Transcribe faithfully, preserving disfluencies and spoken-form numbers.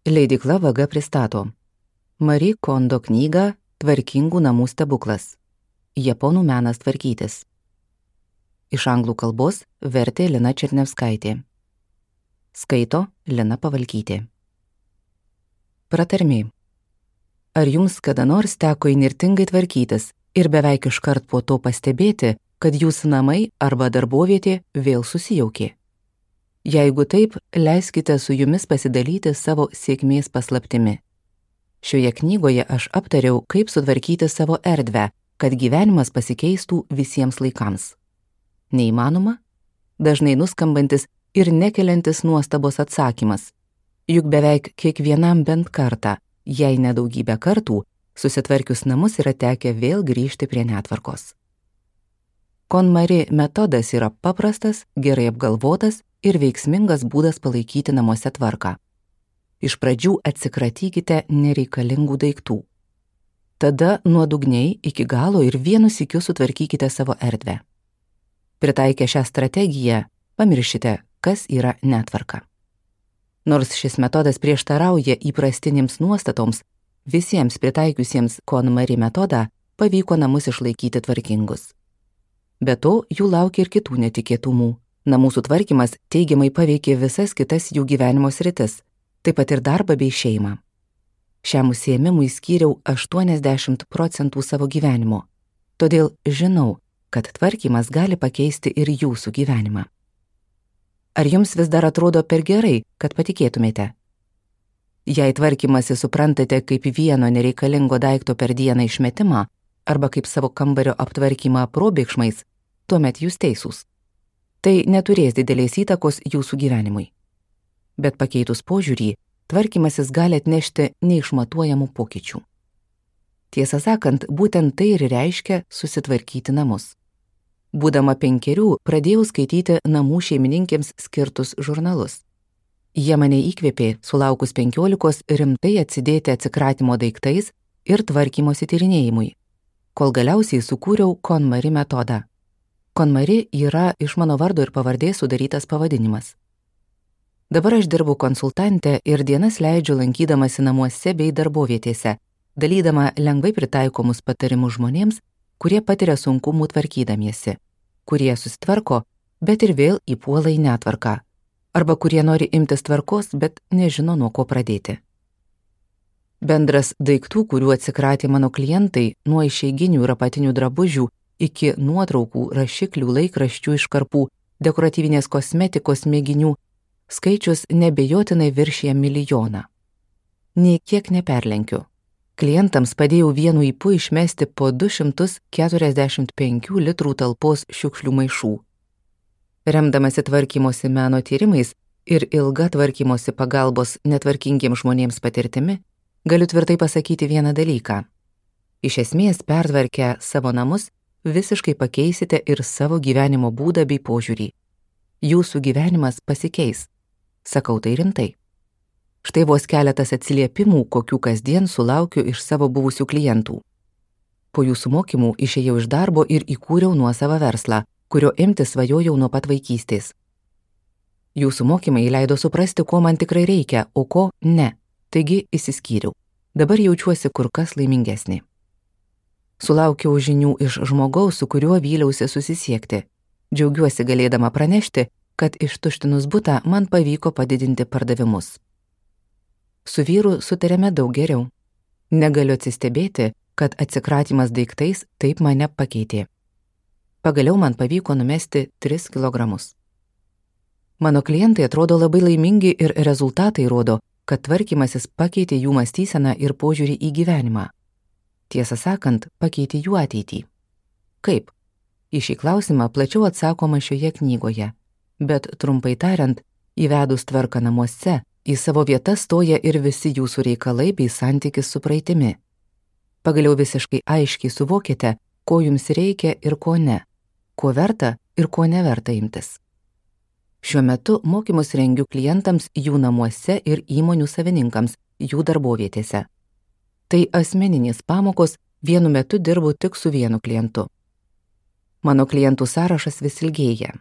Leidykla Vaga pristato Marie Kondo knygą Tvarkingų namų stebuklas. Japonų menas tvarkytis. Iš anglų kalbos vertė Lina Černevskaitė. Skaito Lina Pavalkytė. Pratarmė. Ar jums kada nors teko įnirtingai tvarkytis ir beveik iškart po to pastebėti, kad jūsų namai arba darbovietė vėl susijaukė? Jeigu taip, leiskite su jumis pasidalyti savo sėkmės paslaptimi. Šioje knygoje aš aptariau, kaip sutvarkyti savo erdvę, kad gyvenimas pasikeistų visiems laikams. Neįmanoma? Dažnai nuskambantis ir nekeliantis nuostabos atsakymas. Juk beveik kiekvienam bent kartą, jei ne daugybę kartų, susitvarkius namus yra tekę vėl grįžti prie netvarkos. KonMari metodas yra paprastas, gerai apgalvotas ir veiksmingas būdas palaikyti namuose tvarką. Iš pradžių atsikratykite nereikalingų daiktų. Tada nuodugniai iki galo ir vienu sykiu sutvarkykite savo erdvę. Pritaikę šią strategiją, pamiršite, kas yra netvarka. Nors šis metodas prieštarauja įprastinėms nuostatoms, visiems pritaikiusiems KonMari metodą pavyko namus išlaikyti tvarkingus. Be to, jų laukia ir kitų netikėtumų. Namų sutvarkymas teigiamai paveikė visas kitas jų gyvenimo sritis, taip pat ir darbą bei šeimą. Šiam užsiėmimui skyriau aštuoniasdešimt procentų savo gyvenimo, todėl žinau, kad tvarkymas gali pakeisti ir jūsų gyvenimą. Ar jums vis dar atrodo per gerai, kad patikėtumėte? Jei tvarkymasi suprantate kaip vieno nereikalingo daikto per dieną išmetimą arba kaip savo kambario aptvarkymą probėgšmais, tuomet jūs teisūs. Tai neturės didelės įtakos jūsų gyvenimui. Bet pakeitus požiūrį, tvarkymasis gali atnešti neišmatuojamų pokyčių. Tiesą sakant, būtent tai ir reiškia susitvarkyti namus. Būdama penkerių, pradėjau skaityti namų šeimininkėms skirtus žurnalus. Jie mane įkvėpė, sulaukus penkiolikos, rimtai atsidėti atsikratimo daiktais ir tvarkymosi tyrinėjimui, kol galiausiai sukūriau KonMari metodą. KonMari yra iš mano vardo ir pavardės sudarytas pavadinimas. Dabar aš dirbu konsultante ir dienas leidžiu lankydamasi namuose bei darbovietėse, dalydama lengvai pritaikomus patarimus žmonėms, kurie patiria sunkumų tvarkydamiesi, kurie susitvarko, bet ir vėl įpuola į netvarką, arba kurie nori imtis tvarkos, bet nežino nuo ko pradėti. Bendras daiktų, kurių atsikratė mano klientai, nuo išeiginių ir apatinių drabužių iki nuotraukų, rašiklių, laikraščių iškarpų, dekoratyvinės kosmetikos mėginių, skaičius nebejotinai viršija milijoną. Nei kiek neperlenkiu. Klientams padėjau vienu ypu išmesti po du šimtus keturiasdešimt penkių litrų talpos šiukšlių maišų. Remdamasi tvarkymosi meno tyrimais ir ilga tvarkymosi pagalbos netvarkingiems žmonėms patirtimi, galiu tvirtai pasakyti vieną dalyką. Iš esmės, pertvarkę savo namus, visiškai pakeisite ir savo gyvenimo būdą bei požiūrį. Jūsų gyvenimas pasikeis. Sakau tai rimtai. Štai vos keletas atsiliepimų, kokių kasdien sulaukiu iš savo buvusių klientų. Po jūsų mokymų išėjau iš darbo ir įkūriau nuosavą verslą, kurio imti svajojau nuo pat vaikystės. Jūsų mokymai leido suprasti, ko man tikrai reikia, o ko ne. Taigi išsiskyriau. Dabar jaučiuosi kur kas laimingesnė. Sulaukiau žinių iš žmogaus, su kuriuo vyliausi susisiekti. Džiaugiuosi galėdama pranešti, kad ištuštinus butą man pavyko padidinti pardavimus. Su vyru sutarėme daug geriau. Negaliu atsistebėti, kad atsikratymas daiktais taip mane pakeitė. Pagaliau man pavyko numesti tris kilogramus. Mano klientai atrodo labai laimingi ir rezultatai rodo, kad tvarkymasis pakeitė jų mąstyseną ir požiūrį į gyvenimą. Tiesą sakant, pakeitė jų ateitį. Kaip? Į šį klausimą plačiau atsakoma šioje knygoje, bet trumpai tariant, įvedus tvarką namuose, į savo vietą stoja ir visi jūsų reikalai bei santykis su praeitimi. Pagaliau visiškai aiškiai suvokite, ko jums reikia ir ko ne, ko verta ir ko neverta imtis. Šiuo metu mokymus rengiu klientams jų namuose ir įmonių savininkams jų darbovietėse. Tai asmeninės pamokos, vienu metu dirbu tik su vienu klientu. Mano klientų sąrašas vis ilgėja.